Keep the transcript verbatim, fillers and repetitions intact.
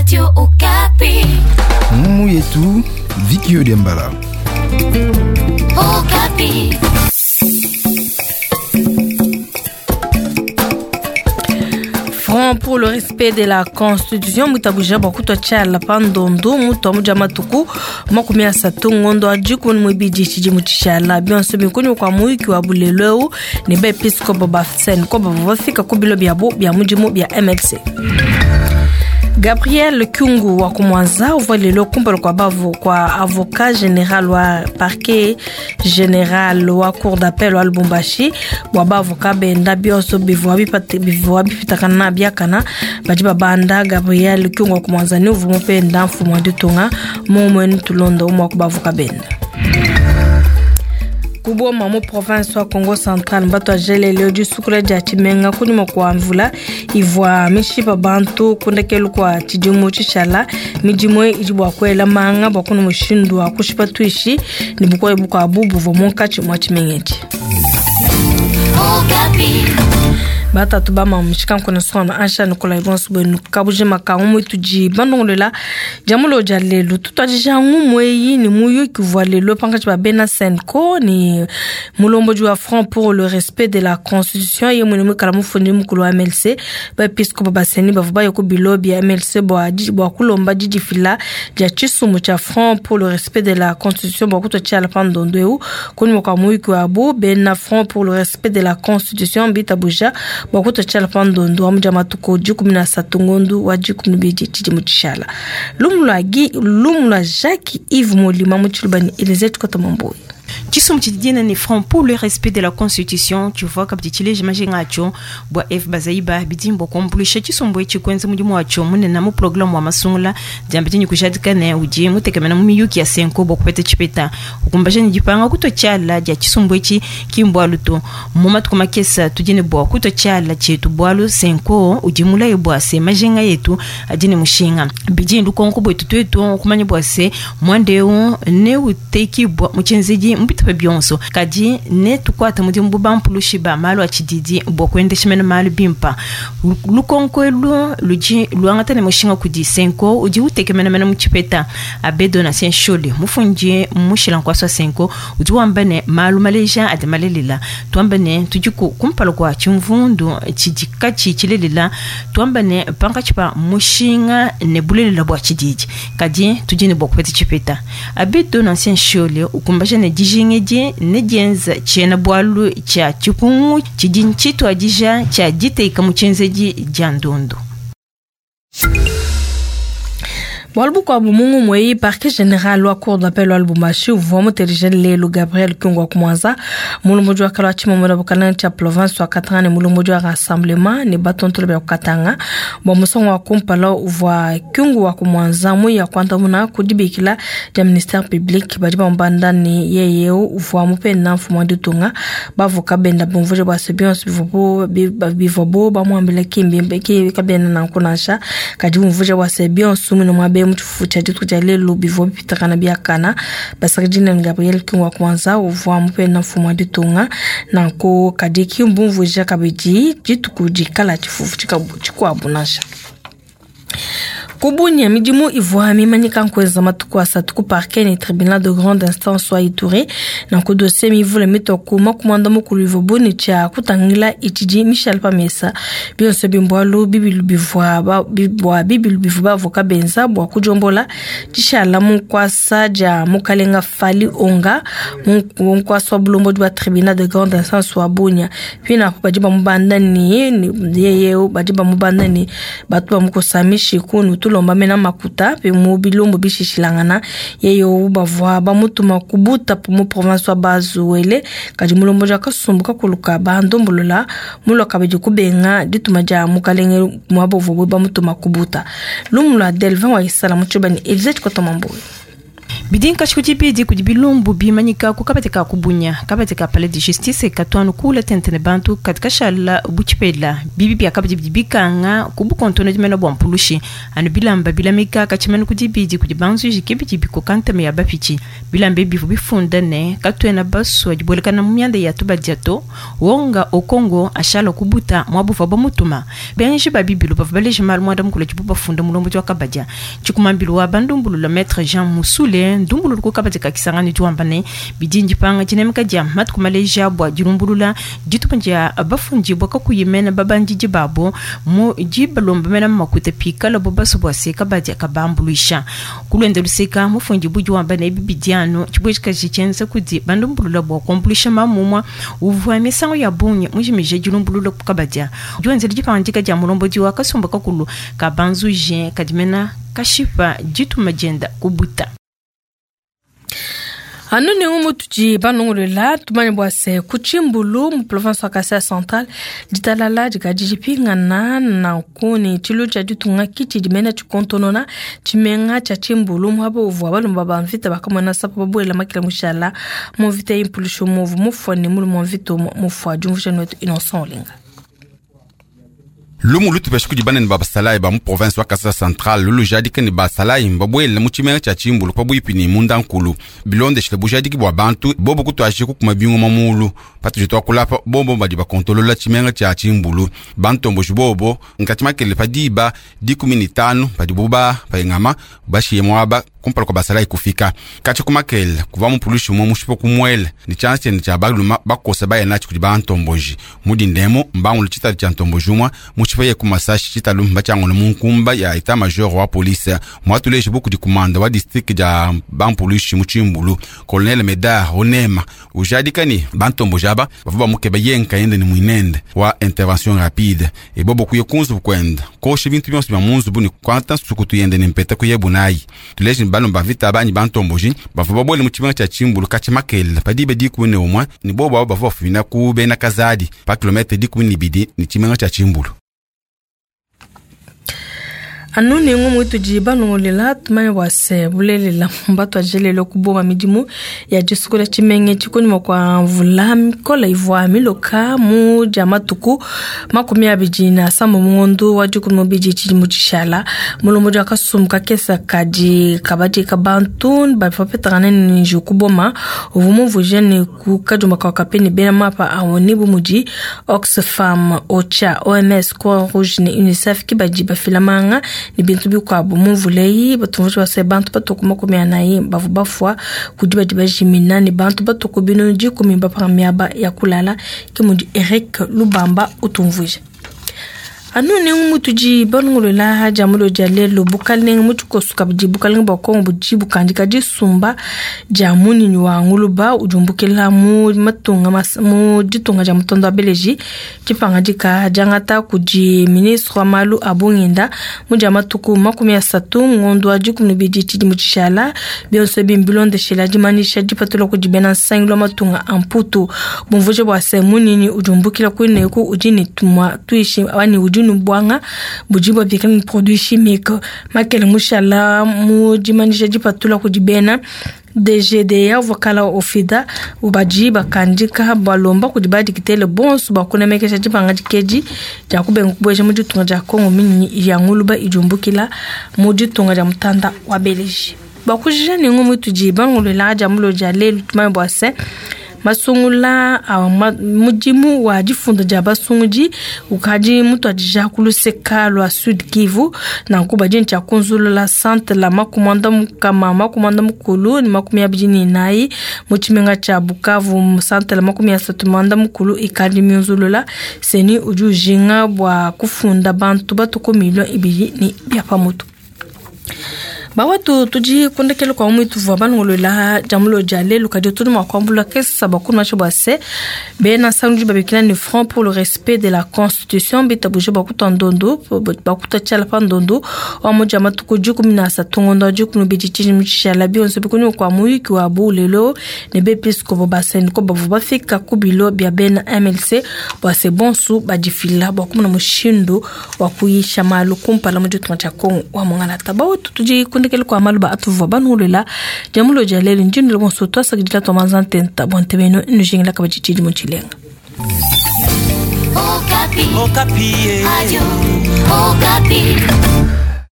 Radio Okapi. Mumu yetu Vicky Odembala. Okapi. Front pour le respect de la Constitution mutabuja bua kutua tshiala pa ndondo mutua mudia matuku makumi asatu ngondo wa dikumi muibidi tshidimu tshishala bionso binkunyi kua muyuki wa bulelu eu ne baepiskopo ba CENCO bavua bafika ku bilo biabu bia mudimu bia M L C. Gabriel Kyungu wa kumwanza uvua lelo kumpala kua bavu kua avocat général wa parquet général wa cour d'appel wa Lubumbashi bua bavoka benda bionso bivua bipate bivua bipitakana biakana badi babanda Gabriel Kyungu wa kumwanza ni uvua mupenda mfumu wa ditunga mumwe tulonda umwa ku bavoka benda. Kuboma mu province wa Congo Central mbato ajelele disukula dia tshimenga kunyuma kua mvula ivua mishipa bantu kundekelu kua tshidimu tshishala midimu idi bua kuela manga bua kuna mushindu wa kushipa tuishi ne bukoye bukuabu buvua munkatshi mua tshimenga etshi. Batatu ba mamushika nkona sona ansha nikola ibonso bwenu kabujima ka umwe tuji bandongolela jamulo ja lelo tutwajija ngumwe yi ni muyuki vwa lelo pangachi ba bena CENCO ni mulomboji wa Front pour le respect de la Constitution ye mwene mwikala mufundi mukulu wa M L C ba episkopo ba seni bavua baye ku bilo bya M L C bwa bwa kulomba didifila dia tshisumu tshia Front pour le respect de la Constitution bwa kutwa tshiala pa ndondo eu kunyuma kua muyuki wabu bena Front pour le respect de la Constitution bitabuja bwa kutwa tshiala pa ndondo wa mudia matuku dikumi na asatu ngondu wa dikumi bidi tshidimu tshishala lumu lua Gi lumu lua Jacques Yves Molima mu tshilubani Elysée Tshikota Mamboyi. Tshisumbu tshidina ni Front pour le respect de la Constitution tshivua kabidi tshileja majinga atshio bua F Bazaiba bidimbo kuambuluisha tshisumbu etshi kuenza mudimu watshio munene mu programme wa masungula diamba dinyi kujadika ne udi mutekemena mu miyuki ya CENCO bua kupeta tshipeta ukumbaja ne dipanga kutua tshiala dia tshisumbu etshi ki mbualu to mu matuku makesa tudi ne bua kutua tshiala tshietu bualu CENCO udi mulaye bua se majinga yetu adi ne mushinga bidi lukonko buetu tuetu kumanya bua se muanda eu neutekibua mu tshienzedi mpita bionso kadi ne tukwata mudimu bu bampulushi ba malu a tshididi bua kuendesha mene malu bimpa lukonko elu ludi luangata ne mushinga kudi CENCO udi utekemena mene mu tshipeta Abe Donatien Shole mufundi mushila nkuasa wa CENCO udi wamba ne malu maleja adi malelela tuamba ne tudi kumpala kua tshimvundu tshidi katshi tshilelela tuamba ne pankatshi pa mushinga ne bulelela bua tshididi kadi tudi ne bua kupeta tshipeta Abe Donatien Shole ukumbaja ne dijingedi ne dienza tshiena bualu tshia tshipungu tshidi ntshituadija tshia diteka mu tshienzedi dia ndondo. Bualu bukuabu mungu mweyi parquet général wa cour d'appel wa Lubumbashi uvua mutelejele lelo Gabriel Kyungu wa kumwanza mulomboji wa kala wa tshimomela bukalanga tshia province wa Katanga ne mulomboji wa rassemblement ne batontolo bia Katanga bua musongo wa kumpala uvua Kyungu wa kumwanza muya kuandamuna kudibikila dia ministère public badi bamubanda ne yeye uvua mupenda mfumu wa ditunga bavoka benda bumvuje bua se bionso bivua bo bamuambila kimbimbe ki kabena nanku nansha kadi bumvuje bua se bionso mwine mwabe mutshifufu tshia dituku dia lelo bivua bipitakana biakana basakidina ne Gabriel Kyungu wa kumwanza uvua mupenda mfumu wa ditunga nanku kadi kimbumvuija kabidi dituku dikala tshifufu tshikuabu nansha. Kubunya midimu ivua mimanyika nkuenza matuku asatu ku parquet ne tribunal de grande instance wa Ituri nanku dossier mivule mitoku makumanda mukulu ivua buni tshia kutangila itshidi Michel Pamesa bionso bimbualu bibilu bivua bua bibilu bivua bavoka benza bua kujombola tshishala munkuasa dia mukalenga Fali Onga munkuasa wa bulombodi bua tribunal de grande instance wa Bunya pina badi bamubanda ni yeye badi bamubanda ni batu bamukusamishi kunu tulomba mena makuta pe mu bilombo bishishilangana yeyo bavua bamutuma kubuta mu province wa Bazuwele kadi mulombo ja kasumbuka kuluka bandombolola muloka bidi kubenga dituma dia mukalenge mwabovo bamutuma kubuta lumu lwa Delvin wa Isala mutshibani Elise Tshikota Mamboyi. Bidi nkashiku tshibidi kudi bilumbu bimanyika ku kabadi ka kubunya kabadi ka palais de justice katuanu kula tentene bantu kadi kashala butshipela bibi bia kabadi bidi bikanga ku bukontona dimena bua mpulushi anu bilamba bilamika katshimanu kudi bidi kudi banzuji ke bidi bikoka ntema ya bapitshi bilamba ebi bivu bifunda ne katuena basua dibuelekana mu mianda ya tubadia to wonga okongo ashala kubuta mwabuva bamutuma benji ba bibilu bavua baleja malu muanda mukulu dibu bafunda mulombodi wa kabadia tshikumambilu wa bandumbulula maître Jean Musule ndumbululu ku kabadi ka kisangani diwamba ne bidi ndipanga dinemeka dia matuku maleja bua dilumbulula ditupa dia bafundi bua kakuyimena babandidi babo mu dibalomba mena makuta pikala bo baso bua se kabadia kabambuluisha kulwenda luseka mufundi budi wamba ne bibidi anu tshibuejikaji tshienza kudi bandumbulula bua kuambuluisha mamumua uvua misango ya bungi mujimije dilumbulula ku kabadia diwenzela dipangandika dia mulombodi wa kasumba kakulu ka banzuje kadimena kashipa dituma dienda kubuta. Anu nengu mutuji banongolela tumanye bua se ku Tshimbulu mu province wa Kasai Central ditalala dikadi dipingana nanku ne tshilu tshia ditunga kitshi dimena tshikontonona tshimenga tshia Tshimbulu muaba uvua balumba ba mvita bakamona sapo babuela makila mushala mu mvita y'impulushu muvu mufua ne mulume wa mvita mufua diumvusha wetu Innocent Olinga. Lumu lutupesha kudi banene ba basalayi ba mu province wa Kasai Central lulu jadika ne basalayi babuele mu tshimenga tshia Tshimbulu pabuipi ne mundankulu bilondeshile bujadiki bua bantu bobo kutuashi kukuma bingoma mulu patudi tuakulapa bobo badi bakontolola tshimenga tshia Tshimbulu bantomboji bobo nkati makele pa diba dikumi ne tanu padibu ba payingama bashiye muaba kumpala kwa basalayi kufika katshi kumakele kuva mupulushi umwe mushipa kumwele ni tshianza tshiende tshia baluma bakosa baya natshi kudi bantomboji mudindemo mbangulu tshitalu tshia ntomboji umwe mushipa ye kumasashi tshitalu mbatshiangolo mu nkumba ya etat major wa polise mwatuleji buku di kumanda wa district dia bampulushi mu Tshimbulu colonel Medard Onema ujadika ni bantomboji aba bavua bamukeba ye nkayende ni mwinende wa intervention rapide ebobo kuye kunzubu kwenda kosha bintu bionso bia munzubu ni kwanta sukutu yende ni mpeta kuye bunayi tuleji ni balomba vita banyi bantomboji bavua babuele mu tshimenga tshia Tshimbulu katshi makele padibe dikumi ne umwe ni bobo abo bavua bafumina ku bena Kazadi pa kilometre dikumi ne ibidi ni tshimenga tshia Tshimbulu. Anu nengu muitudi banongolela tumanye bua se bulelela mbatu ajelele kuboma midimu ya disukula tshimenge tshikunyima kua mvula mikola ivua miloka mu dia matuku makumi abidi na sambo mungondu wa dikumi mubidi tshidimu tshishala mulombodi wa kasumbu kakesa kadi kabadi ka bantu bavua bapetangana ne njiwu kuboma uvua mumvuije ne ku kadiomba ka kape ne bena mapa awoni bu mudi Oxfam, OCHA, O M S, Croix Rouge ne UNICEF ki badi bafila manga ni bintu bikuabu mumvuleyi batumvusha base bantu batuku makumi anayi bavu bafua kudi badi bajimina ne bantu batuku bino dikumi bapanga miaba ya kulala ke mudi Eric Lubamba utumvuija. Anu nengu mutudi banongolola dia mulo dia lelo bukalenga mutshikosu kabidi bukalenga bua Kongo budi bukandika disumba dia munyinyi wa nguluba udiumbukila mu matunga mu ditunga dia mutondo wa Beleji dipangadika diangata kudi ministre wa malu a bungenda mu dia matuku makumi asatu ngondo wa dikumi ne bidi tshidimu tshishala bionso ebi mbilondeshela dimanyisha dipatula kudi bena nsangilu wa matunga a Mputu bumvuje bua se munyinyi udiumbukila kuineku udi ne tumwa tuishi ani udi nubwanga budi bwabikala ni produit chimique makele mushala mu dimanyisha dipatula kudi bena D G D A uvakala ofida ubadi bakandika balomba kudi badikitele bonso bakunemekesha dipanga dikedi dia kubenga kubueja mu ditunga dia Kongo minyinyi ya nguluba idiumbukila mu ditunga dia mutanda wa Beleji bakujija nengu mutudi bangolola dia mulo dia lelu tumanye bua se masungula awa mudimu wa difunda dia basungudi ukadi mutuadija kuluseka lua Sud Kivu nanku badi ntshia kunzulula centre la makumanda mukama makumanda mukulu ni makumi abidi ne inayi mu tshimenga tshia Bukavu centre la makumi asatu manda mukulu ikadi miunzulula seni udi ujinga bua kufunda bantu batuku milio ibidi ni bia pamutu. Bawatu tudi kundekele kwa mwitu vwa banongolola jamulo dia lelu kadi tudi mwa kuambula kesa bakunu macho bua se bena sangu babikila ni Front pour le respect de la Constitution bitabuje bakuta ndondo bakuta tshala pa ndondo wa moja matuku dikumi na asatu ngondo dikumi bidi tshidimu tshishala bionso bikuni kwa muyuki wa bulelo ne bepiskopo baseni ko bavu bafika ku bilo bia bena M L C bua se bonsu badifila bua kumuna mushindu wa kuyisha malu kumpala mu ditunga tshia Kongo wa mongalata. Bawatu tudi kundekele Kundekele kwa maluba atuvua banulela diamulo dia lelu ndindu bonso twasakidila twamanza ntenta bua ntebenu nujingila kabadi mu tshilenga. Okapi. Okapi. Radio Okapi.